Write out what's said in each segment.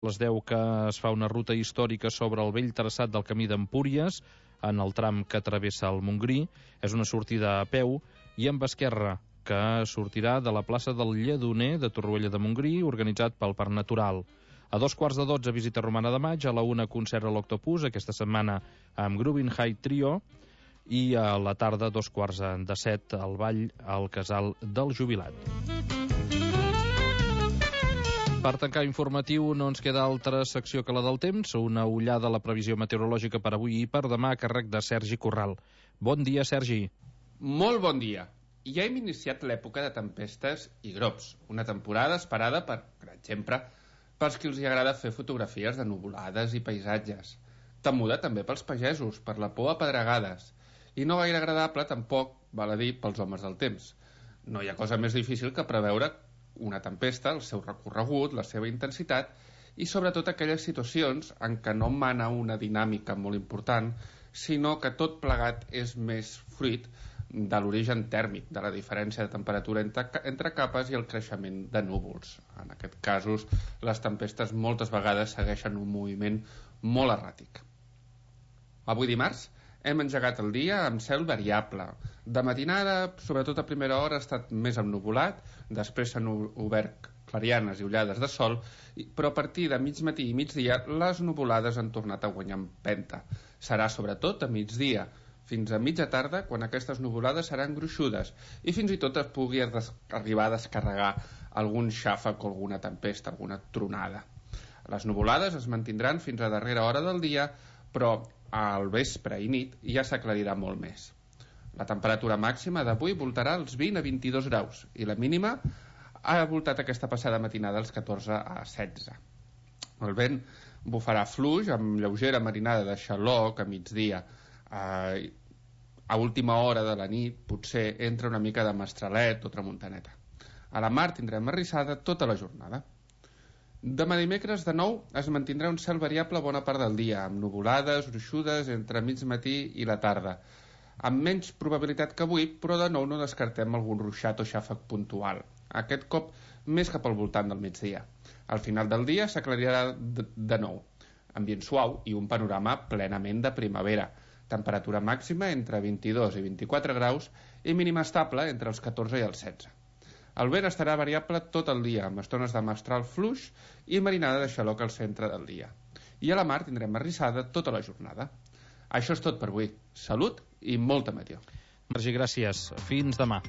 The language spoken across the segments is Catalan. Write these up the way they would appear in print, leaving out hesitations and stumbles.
les 10 que es fa una ruta històrica sobre el vell traçat del camí d'Empúries, en el tram que travessa el Montgrí. És una sortida a peu i amb esquerra, que sortirà de la plaça del Lledoner de Torroella de Montgrí, organitzat pel Parc Natural. A 2:15 visita Romana de Maig, a la 1 concert a l'Octopus, aquesta setmana amb Groovin High Trio, i a la tarda 6:45 al ball al Casal del Jubilat. Per tancar informatiu no ens queda altra secció que la del temps, una ullada a la previsió meteorològica per avui i per demà a càrrec de Sergi Corral. Bon dia, Sergi. Molt bon dia. Ja hem iniciat l'època de tempestes i grops, una temporada esperada per exemple, pels qui els agrada fer fotografies de nuvolades i paisatges. Temuda també pels pagesos, per la por a pedregades, i no gaire agradable tampoc, val a dir, pels homes del temps. No hi ha cosa més difícil que preveure una tempesta, el seu recorregut, la seva intensitat i sobretot aquelles situacions en què no mana una dinàmica molt important, sinó que tot plegat és més fruit de l'origen tèrmic, de la diferència de temperatura entre capes i el creixement de núvols. En aquests casos, les tempestes moltes vegades segueixen un moviment molt erràtic. Avui dimarts hem engegat el dia amb cel variable. De matinada, sobretot a primera hora, ha estat més ennuvolat, després s'han obert clarianes i ullades de sol, però a partir de mig matí i migdia les nuvolades han tornat a guanyar empenta. Serà sobretot a migdia, fins a mitja tarda, quan aquestes nuvolades seran gruixudes i fins i tot es pugui arribar a descarregar algun xàfec o alguna tempesta, alguna tronada. Les nuvolades es mantindran fins a darrera hora del dia, però al vespre i nit ja s'aclarirà molt més. La temperatura màxima d'avui voltarà als 20 a 22 graus i la mínima ha voltat aquesta passada matinada als 14 a 16. El vent bufarà fluix amb lleugera marinada de xaloc a migdia. A última hora de la nit potser entra una mica de mestralet o tramuntaneta. A la mar tindrem arrissada tota la jornada. Demà dimecres, de nou, es mantindrà un cel variable bona part del dia, amb nuvolades, gruixudes entre mig matí i la tarda, amb menys probabilitat que avui, però de nou no descartem algun ruixat o xàfec puntual, aquest cop més cap al voltant del migdia. Al final del dia s'aclarirà de nou, ambient suau i un panorama plenament de primavera, temperatura màxima entre 22 i 24 graus i mínima estable entre els 14 i els 16. El vent estarà variable tot el dia, amb estones de mestral fluix i marinada de xaloc al centre del dia. I a la mar tindrem arrissada tota la jornada. Això és tot per avui. Salut i molta meteo. Sergi, gràcies. Fins demà.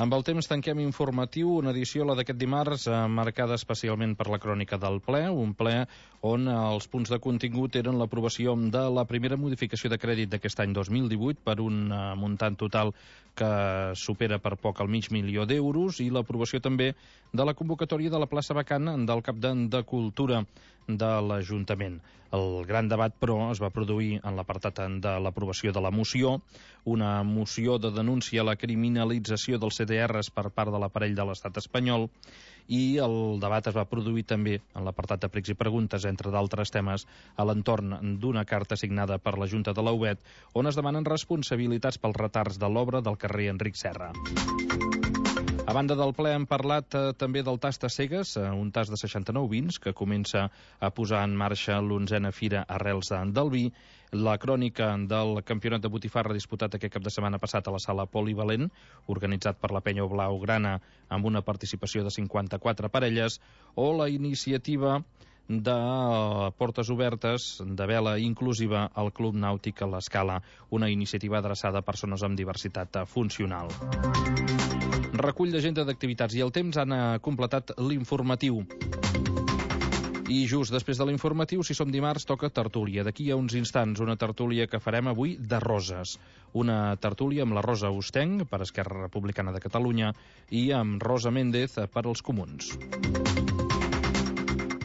Amb el temps tanquem informatiu, una edició, la d'aquest dimarts, marcada especialment per la crònica del ple, un ple on els punts de contingut eren l'aprovació de la primera modificació de crèdit d'aquest any 2018 per un muntant total que supera per poc el $500.000 i l'aprovació també de la convocatòria de la plaça vacant del cap de Cultura de l'Ajuntament. El gran debat, però, es va produir en l'apartat de l'aprovació de la moció, una moció de denúncia a la criminalització dels CDRs per part de l'aparell de l'estat espanyol, i el debat es va produir també en l'apartat de pregs i preguntes, entre d'altres temes, a l'entorn d'una carta signada per la Junta de la UBET, on es demanen responsabilitats pels retards de l'obra del carrer Enric Serra. A banda del ple hem parlat també del tast a cegues, un tast de 69 vins que comença a posar en marxa l'11a Fira Arrels del Vi, la crònica del campionat de botifarra disputat aquest cap de setmana passat a la sala Polivalent, organitzat per la Penya Blaugrana amb una participació de 54 parelles, o la iniciativa de portes obertes de vela inclusiva al Club Nàutic a l'Escala, una iniciativa adreçada a persones amb diversitat funcional. Recull d'agenda d'activitats i el temps han completat l'informatiu. I just després de l'informatiu, si som dimarts, toca tertúlia. D'aquí a uns instants, una tertúlia que farem avui de roses. Una tertúlia amb la Rosa Ostenc, per Esquerra Republicana de Catalunya, i amb Rosa Méndez, per als Comuns.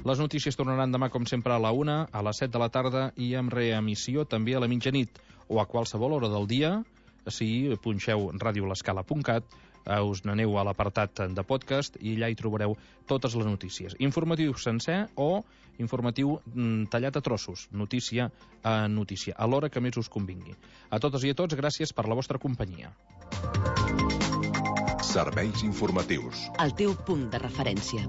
Les notícies tornaran demà, com sempre, a la 1, a les 7 de la tarda i amb reemissió també a la mitjanit o a qualsevol hora del dia. Si punxeu radiolescala.cat, us n'aneu a l'apartat de podcast i allà hi trobareu totes les notícies. Informatiu sencer o informatiu tallat a trossos, notícia a notícia, a l'hora que més us convingui. A totes i a tots, gràcies per la vostra companyia. Serveis informatius. El teu punt de referència.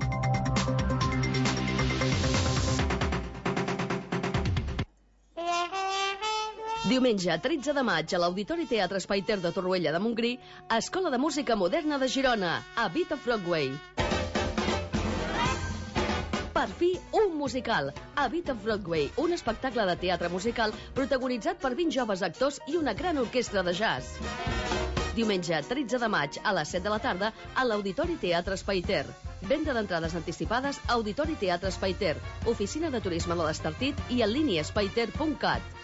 Diumenge, 13 de maig, a l'Auditori Teatre Espai Ter de Torroella de Montgrí, Escola de Música Moderna de Girona, Habita Broadway. Per fi, un musical. Habita Broadway, un espectacle de teatre musical protagonitzat per 20 joves actors i una gran orquestra de jazz. Diumenge, 13 de maig, a les 7 de la tarda, a l'Auditori Teatre Espai Ter. Venda d'entrades anticipades a Auditori Teatre Espai Ter, Oficina de Turisme de l'Estartit i en línia espaiter.cat.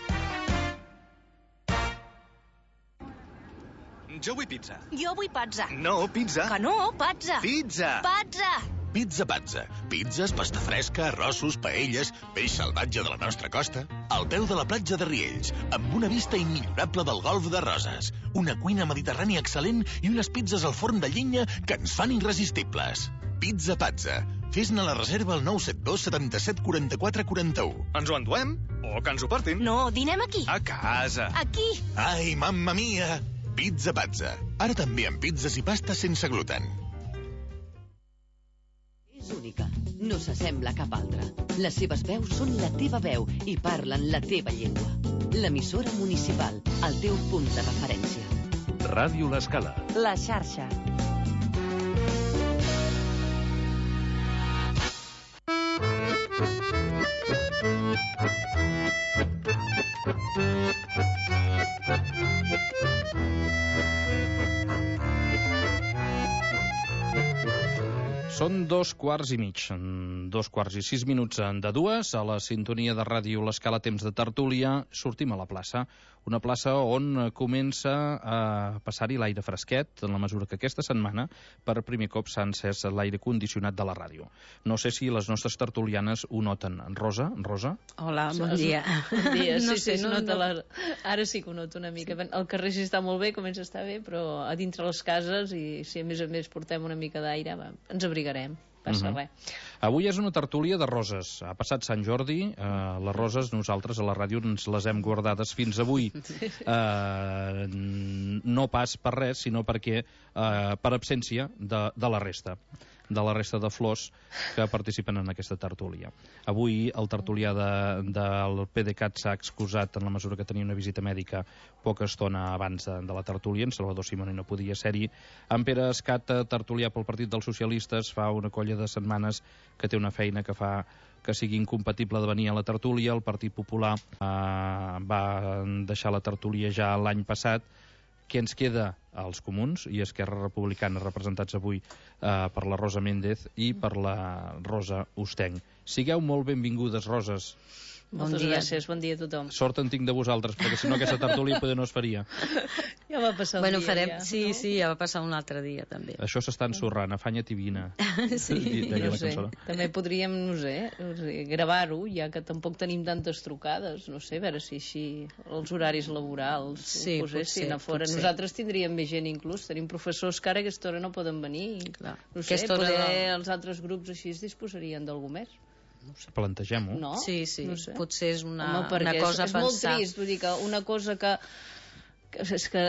Jo vull pizza. Jo vull pazza. No, pizza. Que no, pazza. Pizza. Pazza. Pizza Pazza. Pizzas, pasta fresca, arrossos, paelles, peix salvatge de la nostra costa, al peu de la platja de Riells, amb una vista immillorable del golf de Roses, una cuina mediterrània excel·lent i unes pizzas al forn de llenya que ens fan irresistibles. Pizza Pazza. Fes-ne la reserva al 972 77 44 41. Ens ho enduem? O que ens ho portin? No, dinem aquí. A casa. Aquí. Ai, mamma mia! Pizza Pazza. Ara també amb pizzas i pastes sense gluten. És única, no s'assembla a cap altra. Les seves veus són la teva veu i parlen la teva llengua. L'emissora municipal, el teu punt de referència. Ràdio L'Escala. La xarxa. Són 2:15, 2:06 de 2, a la sintonia de ràdio L'Escala, temps de tertúlia, sortim a la plaça. Una plaça on comença a passar-hi l'aire fresquet, en la mesura que aquesta setmana per primer cop s'ha encès l'aire condicionat de la ràdio. No sé si les nostres tertulianes ho noten. Rosa? Hola, bon dia. Bon dia, No sí, sé, sí, no- ara sí que ho noto una mica. El carrer sí està molt bé, comença a estar bé, però a dintre les cases, i si a més portem una mica d'aire, ens abrigarem. Passa res. Avui és una tertúlia de roses. Ha passat Sant Jordi, les roses nosaltres a la ràdio ens les hem guardades fins avui. No pas per res, sinó perquè per absència de la resta de flors que participen en aquesta tertúlia. Avui el tertulià del PDeCAT s'ha excusat en la mesura que tenia una visita mèdica poca estona abans de la tertúlia. En Salvador Simoni no podia ser-hi. En Pere Escat, tertulià pel Partit dels Socialistes, fa una colla de setmanes que té una feina que fa que sigui incompatible de venir a la tertúlia. El Partit Popular va deixar la tertúlia ja l'any passat. Què ens queda? Els Comuns i Esquerra Republicana, representats avui per la Rosa Méndez i per la Rosa Ostenc. Sigueu molt benvingudes, Roses. Moltes gràcies, bon dia a tothom. Sort en tinc de vosaltres, perquè si no aquesta tertúlia poder no es faria. Ja va passar el dia, farem, ja. sí, no? sí, ja va passar un altre dia, també. Això s'està ensorrant, afanya't i vine. Sí, Deia No la sé, cançó. també podríem, no sé, gravar-ho, ja que tampoc tenim tantes trucades, no sé, a veure si així els horaris laborals Sí, ho posessin potser, a fora. potser. Nosaltres tindríem més gent inclús, tenim professors que ara a aquesta hora no poden venir. Clar. No sé, Aquesta hora poder els altres grups així es disposarien d'algú més. Plantegem-ho. No? Sí, sí, No sé. potser és una perquè cosa a és molt pensar. trist, vull dir que una cosa que és que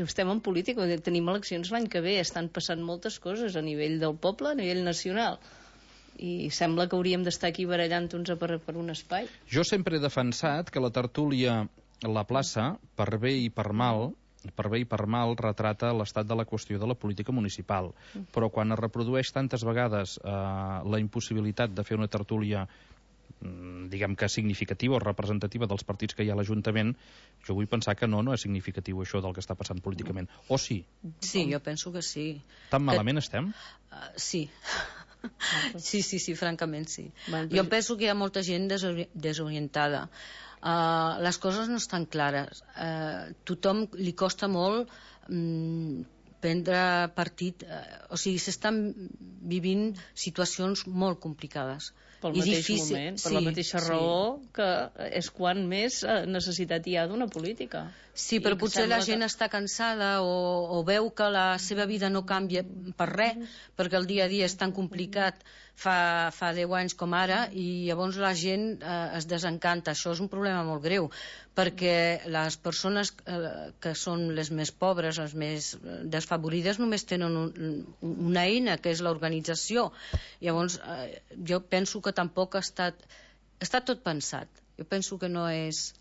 estem en política, vull dir, tenim eleccions l'any que ve, estan passant moltes coses a nivell del poble, a nivell nacional, i sembla que hauríem d'estar aquí barallant-nos per un espai. Jo sempre he defensat que la tertúlia, la plaça, per bé i per mal, retrata l'estat de la qüestió de la política municipal. Però quan es reprodueix tantes vegades la impossibilitat de fer una tertúlia diguem que significativa o representativa dels partits que hi ha a l'Ajuntament, jo vull pensar que no és significatiu això del que està passant políticament. O sí? Sí, jo penso que sí. Tan malament estem? Sí. Sí, francament sí. Bueno, Jo penso que hi ha molta gent desorientada. Les coses no estan clares. Tothom li costa molt prendre partit. O sigui, s'estan vivint situacions molt complicades. Pel I mateix difícil. moment, per la mateixa raó que és quan més necessitat hi ha d'una política. Sí, però I potser sembla la gent està cansada o veu que la seva vida no canvia per res, perquè el dia a dia és tan complicat fa 10 anys com ara, i llavors la gent es desencanta. Això és un problema molt greu. perquè les persones que són les més pobres, les més desfavorides, només tenen una eina, que és l'organització. Llavors, jo penso que tampoc està tot pensat. Jo penso que no és...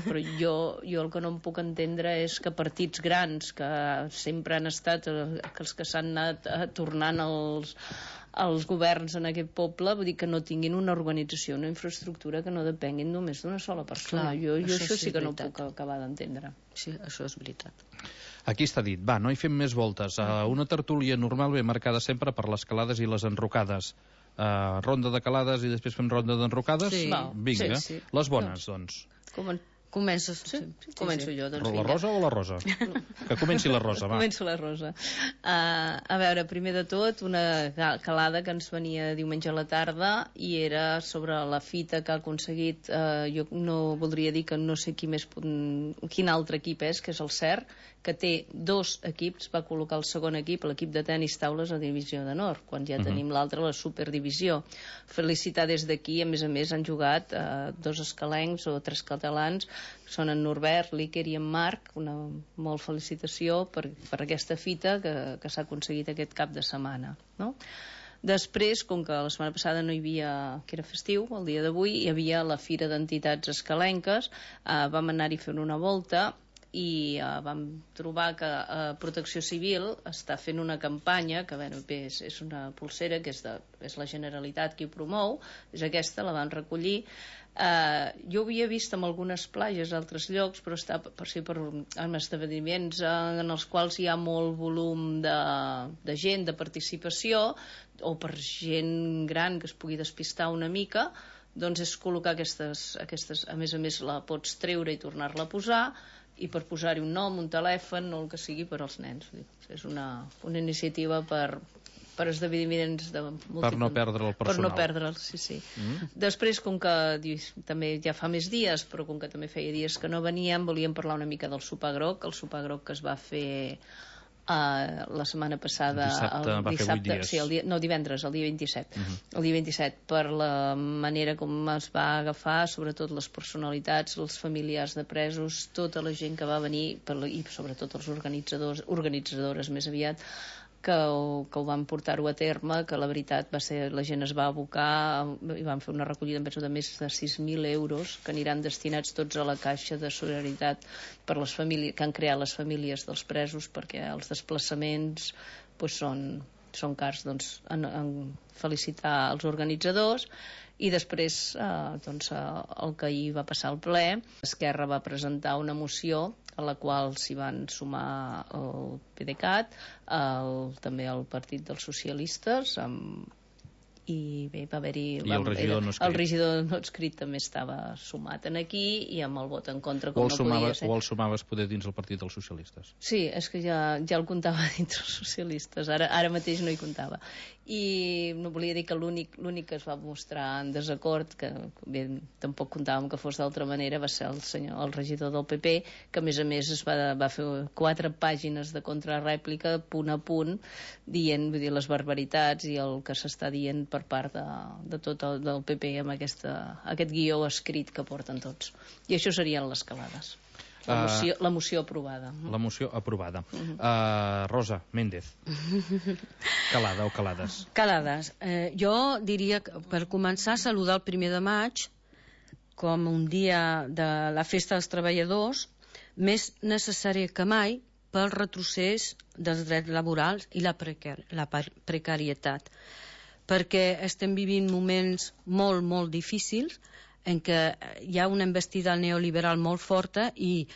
Però jo el que no em puc entendre és que partits grans, que sempre han estat els que s'han anat tornant els governs en aquest poble, vull dir que no tinguin una organització, una infraestructura que no depenguin només d'una sola persona. Jo això sí que no ho puc acabar d'entendre. Sí, això és veritat. Aquí està dit. Va, no hi fem més voltes. Una tertúlia normal ben marcada sempre per les calades i les enrocades. Ronda de calades i després fem ronda d'enrocades? Sí. Vinga. Sí. Les bones, doncs. Comences. Sí? Començo jo, doncs. Però la Rosa o la Rosa? Que comenci la Rosa, va. Començo la Rosa. A veure, primer de tot, una calada que ens venia diumenge a la tarda i era sobre la fita que ha aconseguit, jo no voldria dir que no sé quin altre equip és, que és el CERT, que té 2 equips, va col·locar el segon equip, l'equip de tenis taules a divisió de nord, quan ja tenim l'altre, la superdivisió. Felicitar des d'aquí, a més, han jugat 2 escalencs o 3 catalans, són en Norbert, l'Iker i en Marc. Una molt felicitació per aquesta fita que s'ha aconseguit aquest cap de setmana, no? Després, com que la setmana passada no hi havia, que era festiu, el dia d'avui, hi havia la Fira d'Entitats Escalenques, vam anar-hi fent una volta i vam trobar que Protecció Civil està fent una campanya que és una pulsera que és la Generalitat qui ho promou, és aquesta, la van recollir. Jo ho havia vist en algunes platges a altres llocs, però està en esdeveniments en els quals hi ha molt volum de gent, de participació, o per gent gran que es pugui despistar una mica, doncs és col·locar aquestes, a més la pots treure i tornar-la a posar, i per posar-hi un nom, un telèfon o el que sigui per als nens. És una iniciativa per esdeveniments de per no perdre el personal. Per no perdre'l, sí. Després, com que també ja fa més dies, però com que també feia dies que no veníem, volíem parlar una mica del sopar groc, el sopar groc que es va fer la setmana passada, divendres, el dia 27. El dia 27, per la manera com es va agafar, sobretot les personalitats, els familiars de presos, tota la gent que va venir, i sobretot els organitzadores més aviat, que ho van portar-ho a terme, que la veritat la gent es va abocar i van fer una recollida de més de 6.000 euros que aniran destinats tots a la caixa de solidaritat per les famílies que han creat les famílies dels presos, perquè els desplaçaments són cars. Doncs en felicitar els organitzadors. I després, el que ahir va passar al ple, Esquerra va presentar una moció a la qual s'hi van sumar el PDeCAT, també el Partit dels Socialistes, i bé, va haver-hi... I el regidor no escrit. El regidor no escrit també estava sumat en aquí, i amb el vot en contra, com no podia ser. O el sumaves poder dins el Partit dels Socialistes? Sí, és que ja el comptava dins els socialistes, ara mateix no hi comptava. I no volia dir que l'únic que es va mostrar en desacord, que bé, tampoc comptàvem que fos d'altra manera, va ser el regidor del PP, que a més es va fer 4 pàgines de contrarèplica, punt a punt, dient les barbaritats i el que s'està dient per part de tot del PP amb aquest guió escrit que porten tots. I això serien les calades. La moció aprovada. La moció aprovada. Rosa Méndez. Calada o calades? Calades. Jo diria que per començar saludar el 1 de maig com un dia de la festa dels treballadors, més necessari que mai pel retrocés dels drets laborals i la precarietat. Perquè estem vivint moments molt, molt difícils en què hi ha una investida neoliberal molt forta i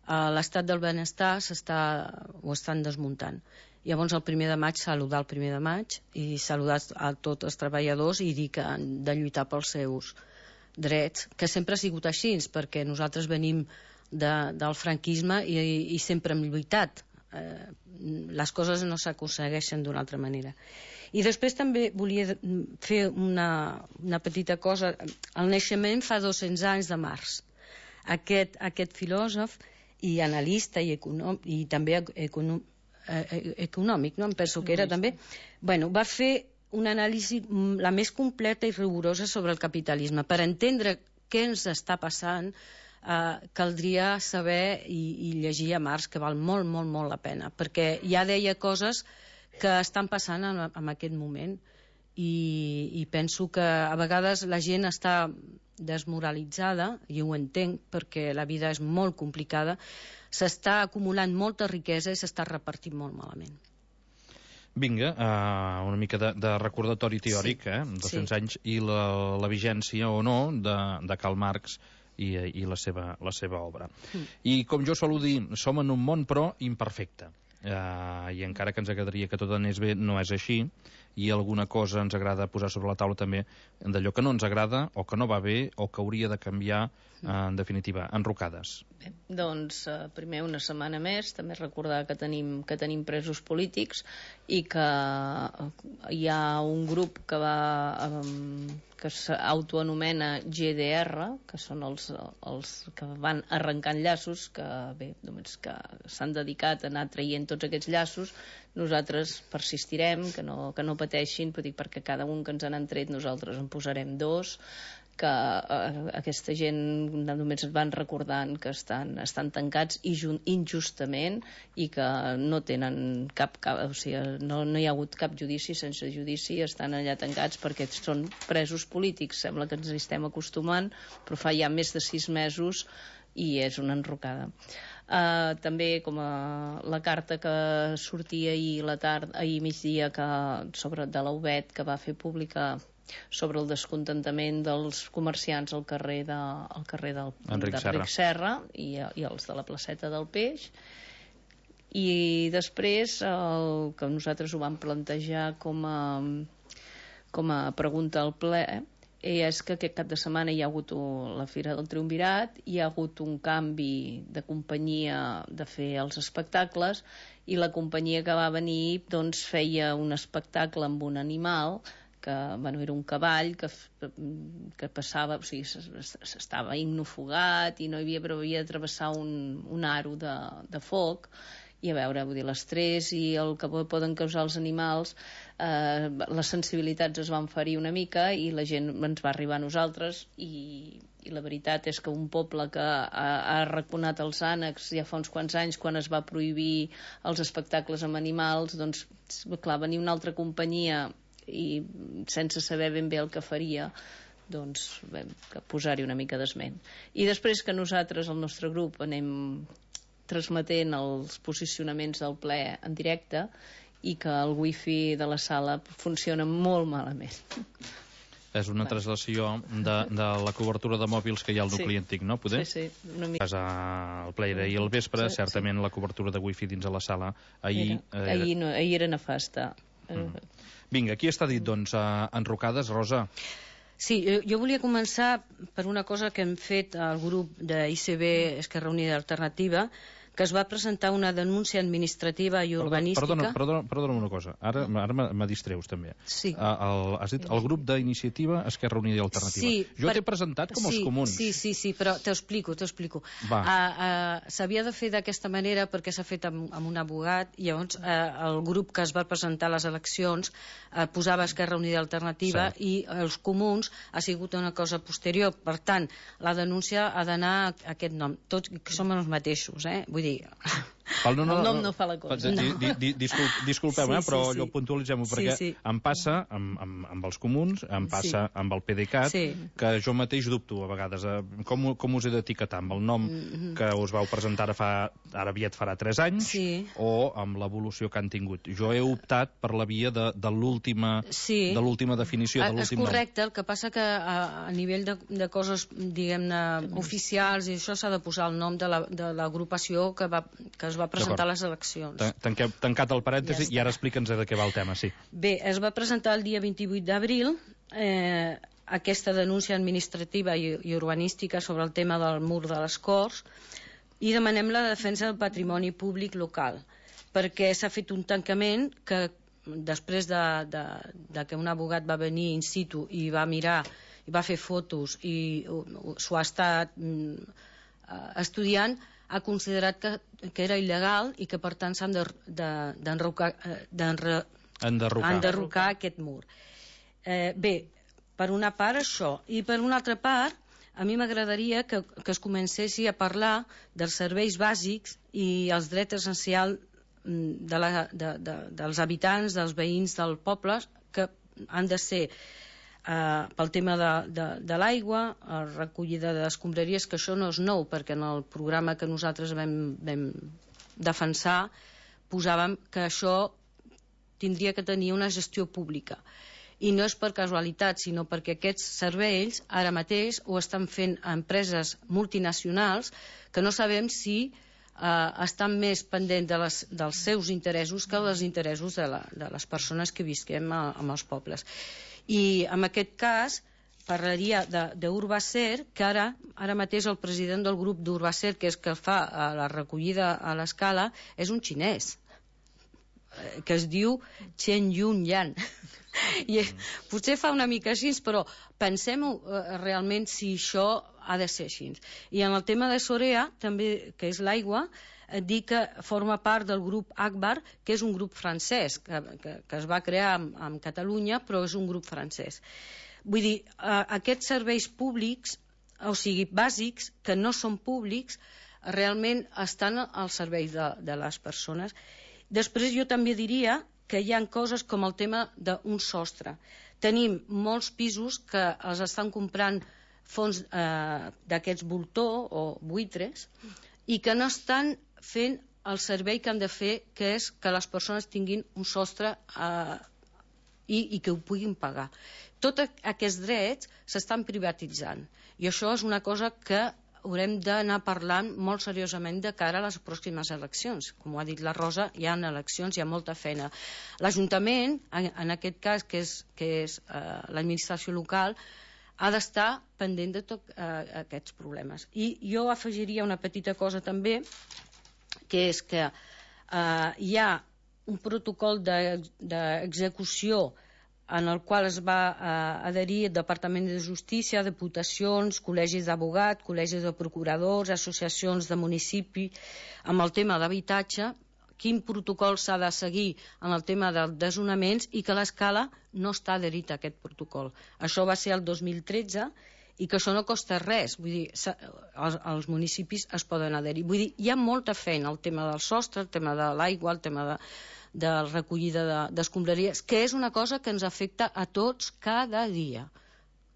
l'estat del benestar ho estan desmuntant. Llavors el 1 de maig, saludar el 1 de maig i saludar a tots els treballadors i dir que han de lluitar pels seus drets, que sempre ha sigut així, perquè nosaltres venim del franquisme i sempre hem lluitat. Les coses no s'aconsegueixen d'una altra manera. I després també volia fer una petita cosa. El naixement fa 200 anys de Marx. Aquest filòsof i analista i també econòmic, no? Em penso que era també, va fer una anàlisi la més completa i rigorosa sobre el capitalisme per entendre què ens està passant caldria saber i llegir a Marx, que val molt, molt, molt la pena, perquè ja deia coses que estan passant en aquest moment i penso que a vegades la gent està desmoralitzada, i ho entenc perquè la vida és molt complicada, s'està acumulant molta riquesa i s'està repartint molt malament. Vinga, una mica de recordatori teòric, 200 anys i la vigència o no de Karl Marx i la seva obra. I com jo solo dir, som en un món però imperfecte. I encara que ens agradaria que tot anés bé, no és així, i alguna cosa ens agrada posar sobre la taula també d'allò que no ens agrada o que no va bé o que hauria de canviar, en definitiva, enrocades. Bé, doncs primer una setmana més, també recordar que tenim presos polítics i que hi ha un grup que s'autoanomena GDR, que són els que van arrencant llaços, que bé, només que s'han dedicat a anar traient tots aquests llaços. Nosaltres persistirem, que no pateixin, perquè cada un que ens han tret nosaltres en posarem 2, que aquesta gent només es van recordant que estan tancats injustament i que no tenen o sigui, no hi ha hagut cap judici, sense judici estan allà tancats perquè són presos polítics. Sembla que ens hi estem acostumant, però fa ja més de 6 mesos i és una enrocada. També com la carta que sortia ahir migdia de la UBET, que va fer pública sobre el descontentament dels comerciants al carrer d'Enric Serra i els de la placeta del Peix. I després el que nosaltres ho vam plantejar com a pregunta al ple és que aquest cap de setmana hi ha hagut la Fira del Triumvirat, hi ha hagut un canvi de companyia de fer els espectacles i la companyia que va venir doncs feia un espectacle amb un animal que era un cavall que passava, o sigui, s'estava ignofugat i no hi havia, però havia de travessar un aro de foc. I a veure, vull dir, l'estrès i el que poden causar els animals, les sensibilitats es van ferir una mica i la gent ens va arribar a nosaltres i la veritat és que un poble que ha arraconat els ànecs ja fa uns quants anys, quan es va prohibir els espectacles amb animals, doncs clar, venia una altra companyia i sense saber ben bé el que faria, doncs vam posar-hi una mica d'esment. I després que nosaltres, el nostre grup, anem transmetent els posicionaments del ple en directe i que el wifi de la sala funciona molt malament. És una translació de la cobertura de mòbils que hi ha al nucli antic, no? Poder? Sí, una mica. El ple era ahir al vespre, certament la cobertura de wifi dins de la sala ahir era nefasta. Vinga, aquí està dit, doncs, enrocades, Rosa. Sí, jo volia començar per una cosa que hem fet al grup d'ICB Esquerra Unida Alternativa, que es va presentar una denúncia administrativa i urbanística... Perdona una cosa, ara me distreus també. Sí. Has dit el grup d'Iniciativa Esquerra Unida i Alternativa. Sí, jo t'he presentat com els comuns. Sí, però t'ho explico. S'havia de fer d'aquesta manera perquè s'ha fet amb un abogat i llavors el grup que es va presentar a les eleccions posava Esquerra Unida i Alternativa i els comuns ha sigut una cosa posterior. Per tant, la denúncia ha d'anar a aquest nom. Tots som els mateixos, vull dir... El nom no fa la cosa. Disculpeu, però allò puntualitzem-ho, perquè em passa amb els comuns, em passa amb el PDeCAT, que jo mateix dubto a vegades com us he d'etiquetar, amb el nom que us vau presentar ara aviat farà 3 anys o amb l'evolució que han tingut. Jo he optat per la via de l'última definició, de l'últim nom. És correcte, el que passa que a nivell de coses, diguem-ne, oficials i això s'ha de posar el nom de l'agrupació que es va presentar a les eleccions. Tancat el parèntesi i ara explica'ns de què va el tema, sí. Bé, es va presentar el dia 28 d'abril aquesta denúncia administrativa i urbanística sobre el tema del mur de les Corts i demanem la defensa del patrimoni públic local, perquè s'ha fet un tancament que després de que un abogat va venir in situ i va mirar i va fer fotos i s'ho ha estat estudiant, ha considerat que era il·legal i que per tant s'han d'enderrocar aquest mur. Bé, per una part això, i per una altra part a mi m'agradaria que es comencessi a parlar dels serveis bàsics i els drets essencials dels habitants, dels veïns del poble, que han de ser pel tema de l'aigua, recollida d'escombraries, que això no és nou, perquè en el programa que nosaltres vam defensar posàvem que això tindria que tenir una gestió pública. I no és per casualitat, sinó perquè aquests serveis ara mateix ho estan fent empreses multinacionals que no sabem si estan més pendents dels seus interessos que dels interessos de les persones que visquem en els pobles. I en aquest cas parlaria d'Urbacer, que ara mateix el president del grup d'Urbacer, que és que fa la recollida a l'escala, és un xinès, que es diu Chen Yun Yan. I potser fa una mica així, però pensem-ho realment si això ha de ser així. I en el tema de Sorea, també, que és l'aigua, dir que forma part del grup Akbar, que és un grup francès, que es va crear en Catalunya, però és un grup francès. Vull dir, aquests serveis públics, o sigui, bàsics, que no són públics, realment estan al servei de les persones. Després jo també diria que hi ha coses com el tema d'un sostre. Tenim molts pisos que els estan comprant fons d'aquests voltor o buitres i que no estan fent el servei que han de fer, que és que les persones tinguin un sostre i que ho puguin pagar. Tots aquests drets s'estan privatitzant i això és una cosa que haurem d'anar parlant molt seriosament de cara a les pròximes eleccions. Com ho ha dit la Rosa, hi ha eleccions, hi ha molta feina. L'Ajuntament, en aquest cas, que és l'administració local, ha d'estar pendent de tots aquests problemes. I jo afegiria una petita cosa també, que és que hi ha un protocol d'execució en el qual es va adherir el Departament de Justícia, Diputacions, col·legis d'abogats, col·legis de procuradors, associacions de municipi, amb el tema d'habitatge, quin protocol s'ha de seguir en el tema dels desnonaments i que l'Escala no està adherit a aquest protocol. Això va ser el 2013 i que això no costa res, vull dir, els municipis es poden adherir. Vull dir, hi ha molta feina, el tema del sostre, el tema de l'aigua, el tema de recollida d'escombraries, que és una cosa que ens afecta a tots cada dia.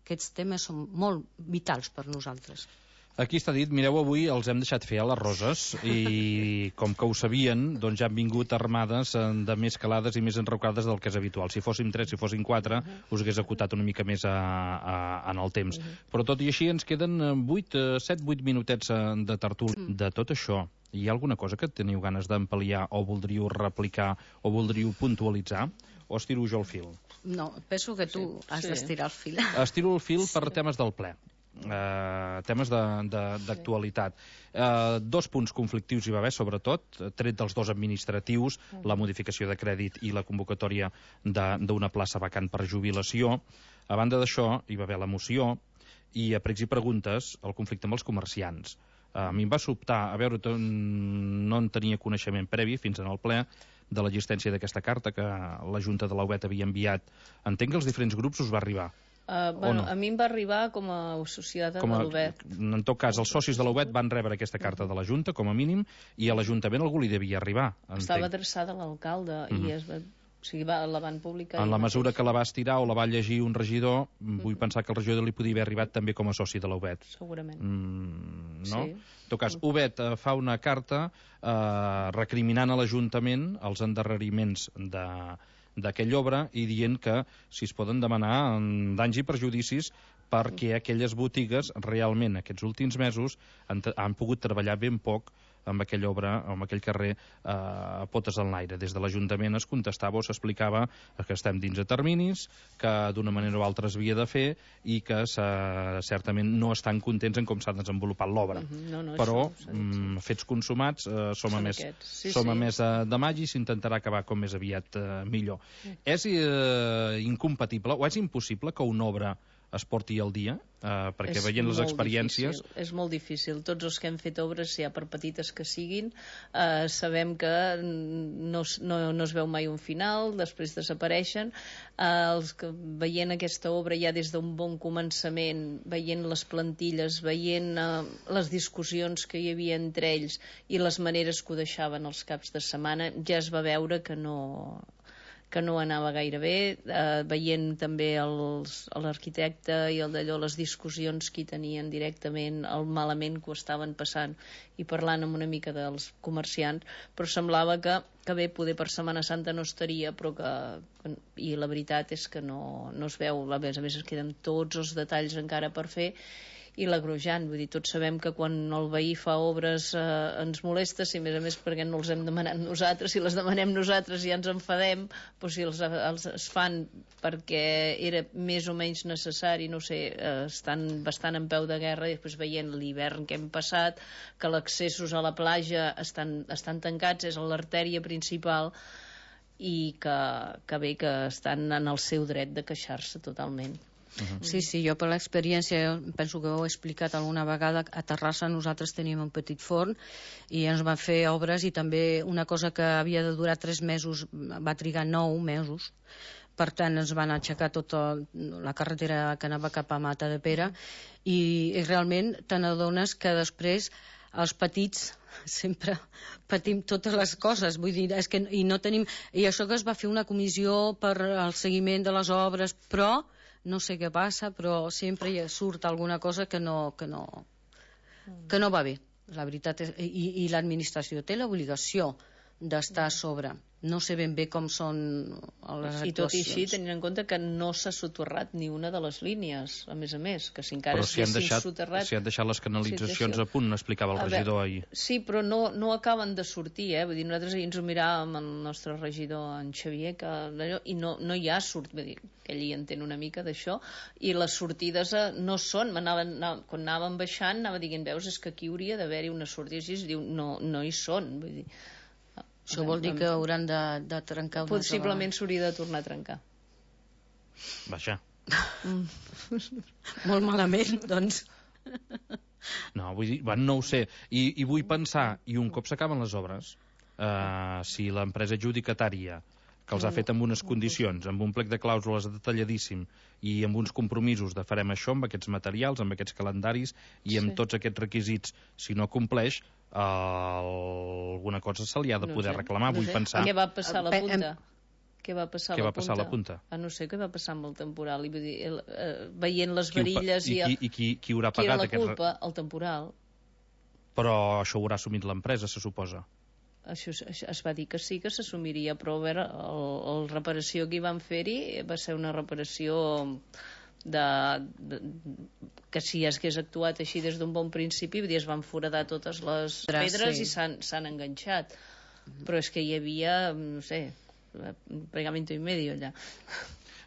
Aquests temes són molt vitals per nosaltres. Aquí està dit, mireu, avui els hem deixat fer a les Roses i com que ho sabien, doncs ja han vingut armades de més calades i més enrocades del que és habitual. Si fóssim 3, si fóssim 4, us hagués acotat una mica més en el temps. Però tot i així ens queden 7-8 minutets de tertúlia. De tot això, hi ha alguna cosa que teniu ganes d'ampliar o voldríeu replicar o voldríeu puntualitzar? O estiro jo el fil? No, penso que tu has d'estirar el fil. Estiro el fil per temes del ple. Temes d'actualitat. 2 punts conflictius hi va haver, sobretot, tret dels 2 administratius, la modificació de crèdit i la convocatòria d'una plaça vacant per jubilació. A banda d'això, hi va haver la moció i a pregs i preguntes el conflicte amb els comerciants. A mi em va sobtar, a veure, no en tenia coneixement previ fins en el ple de l'existència d'aquesta carta que la Junta de la UBET havia enviat. Entenc que als diferents grups us va arribar. No? A mi em va arribar com a societat de l'UBET. En tot cas, els socis de l'UBET van rebre aquesta carta de la Junta, com a mínim, i a l'Ajuntament algú li devia arribar. Estava adreçada a l'alcalde i o sigui, la van publicar. En la mesura que la va estirar o la va llegir un regidor, vull pensar que el regidor li podia haver arribat també com a soci de la UBET. Segurament. No? Sí. En tot cas, UBET fa una carta recriminant a l'Ajuntament els endarreriments d'aquella obra i dient que si es poden demanar danys i perjudicis perquè aquelles botigues realment aquests últims mesos han pogut treballar ben poc amb aquella obra, amb aquell carrer potes en l'aire. Des de l'Ajuntament es contestava o s'explicava que estem dins de terminis, que d'una manera o altra es havia de fer i que certament no estan contents en com s'ha desenvolupat l'obra. Però fets consumats som a més de maig i s'intentarà acabar com més aviat millor. És incompatible o és impossible que una obra es porti al dia? Perquè veient les experiències... És molt difícil. Tots els que hem fet obres, ja per petites que siguin, sabem que no es veu mai un final, després desapareixen. Els que veient aquesta obra ja des d'un bon començament, veient les plantilles, veient les discussions que hi havia entre ells i les maneres que ho deixaven els caps de setmana, ja es va veure que no anava gaire bé, veient també l'arquitecte i el d'allò, les discussions que hi tenien directament, el malament que ho estaven passant, i parlant amb una mica dels comerciants, però semblava que bé, poder per Setmana Santa no estaria, però i la veritat és que no es veu, a més es queden tots els detalls encara per fer, i l'agrujant, vull dir, tots sabem que quan el veí fa obres ens molesta, si a més perquè no els hem demanat nosaltres, si les demanem nosaltres ja ens enfadem, però si els es fan perquè era més o menys necessari, no sé, estan bastant en peu de guerra, i després veient l'hivern que hem passat, que els accessos a la platja estan tancats, és l'artèria principal, i que bé, que estan en el seu dret de queixar-se totalment. Sí, jo per l'experiència, penso que ho he explicat alguna vegada, a Terrassa nosaltres teníem un petit forn i ens van fer obres, i també una cosa que havia de durar 3 mesos va trigar 9 mesos. Per tant, ens van aixecar tota la carretera que anava cap a Matadepera, i realment te n'adones que després els petits sempre patim totes les coses, vull dir, és que i no tenim, i això que es va fer una comissió per al seguiment de les obres, però no sé què passa, però sempre hi surt alguna cosa que no va bé, la veritat és, i l'administració té l'obligació d'estar a sobre. No sé ben bé com són les actuacions. I tot i així, tenint en compte que no s'ha soterrat ni una de les línies, a més, que si encara soterrat... Si han deixat les canalitzacions a punt, explicava el regidor ahir. Sí, però no acaben de sortir, Vull dir, nosaltres ahir ens ho miràvem el nostre regidor, en Xavier, i no hi ha vull dir, que ell hi entén una mica d'això, i les sortides no són, quan anàvem baixant, anava dient, veus, és que aquí hauria d'haver-hi una sortida, i es diu, no hi són, vull dir... Això vol dir que hauran de trencar una Possiblement s'hauria de tornar a trencar. Vaja. Molt malament, doncs. No, vull dir, no ho sé. I vull pensar, i un cop s'acaben les obres, si l'empresa adjudicatària, que els ha fet amb unes condicions, amb un plec de clàusules detalladíssim i amb uns compromisos de farem això amb aquests materials, amb aquests calendaris i amb tots aquests requisits, si no compleix, alguna cosa se li ha de poder reclamar. Vull pensar... Què va passar a la punta? Què va passar a la punta? No sé què va passar amb el temporal. Vull dir, veient les varilles... I qui haurà pagat aquest... Qui era la culpa? El temporal. Però això ho haurà assumit l'empresa, se suposa. Això es va dir que sí, que s'assumiria, però a veure, la reparació que hi van fer-hi va ser una reparació que si hagués actuat així des d'un bon principi, es van foradar totes les pedres i s'han enganxat, però és que hi havia, no sé, pegamento y medio allà.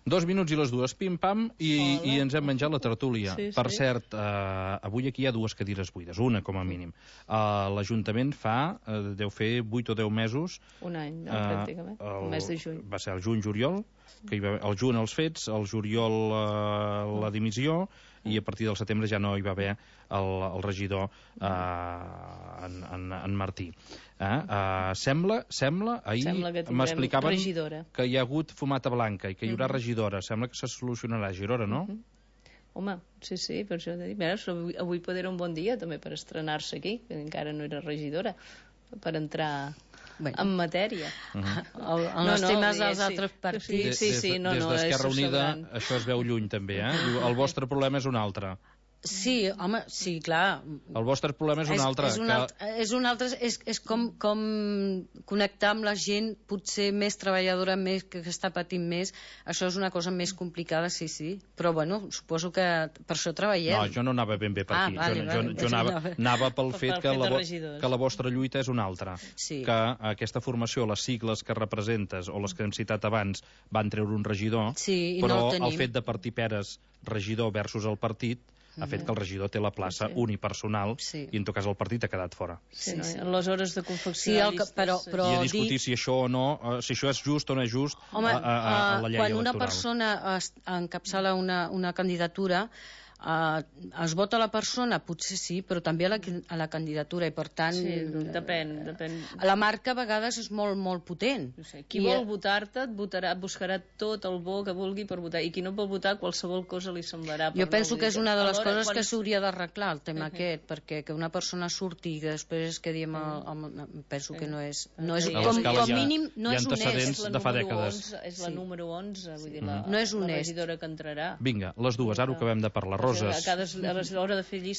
2 minuts i les 2, pim-pam, i ens hem menjat la tertúlia. Per cert, avui aquí hi ha 2 cadires buides, una com a mínim. L'Ajuntament deu fer 8 o 10 mesos... Un any, pràcticament, el mes de juny. Va ser el juny-juliol, que hi va el juny els fets, el juliol la dimissió, i a partir del setembre ja no hi va haver el regidor en Martí. Sembla, ahir m'explicaven que hi ha hagut fumata blanca i que hi haurà regidora. Sembla que se solucionarà a Girona, no? Home, sí, per això he dit, avui pot era un bon dia també per estrenar-se aquí, que encara no era regidora, per entrar en matèria. Els temes dels altres partits. Des d'Esquerra Unida això es veu lluny també, El vostre problema és un altre. Sí, home, sí, clar. El vostre problema és un altre. És com connectar amb la gent potser més treballadora, més que està patint més. Això és una cosa més complicada, sí. Però, bueno, suposo que per això treballem. No, jo no anava ben bé per aquí. Jo anava pel fet que la vostra lluita és una altra. Que aquesta formació, les sigles que representes o les que hem citat abans, van treure un regidor, però el fet de partir peres regidor versus el partit ha fet que el regidor té la plaça unipersonal i en tot cas el partit ha quedat fora. Sí, en les hores de confecció Sí, de llistes... però I a discutir si això o no, si això és just o no és just a la llei electoral. Quan una persona encapçala una candidatura, es vota la persona, potser sí, però també a la candidatura, i per tant... Sí, depèn. La marca a vegades és molt, molt potent. Qui vol votar-te et buscarà tot el bo que vulgui per votar, i qui no vol votar, qualsevol cosa li semblarà. Jo penso que és una de les coses que s'hauria d'arreglar, el tema aquest, perquè que una persona surti i que després quedi penso que no és... Com mínim, no és honest. De fa dècades. És la número 11, vull dir, la no és honest. regidora que entrarà. Vinga, les dues, ara ho acabem de parlar. Roses. A l'hora de fer llistes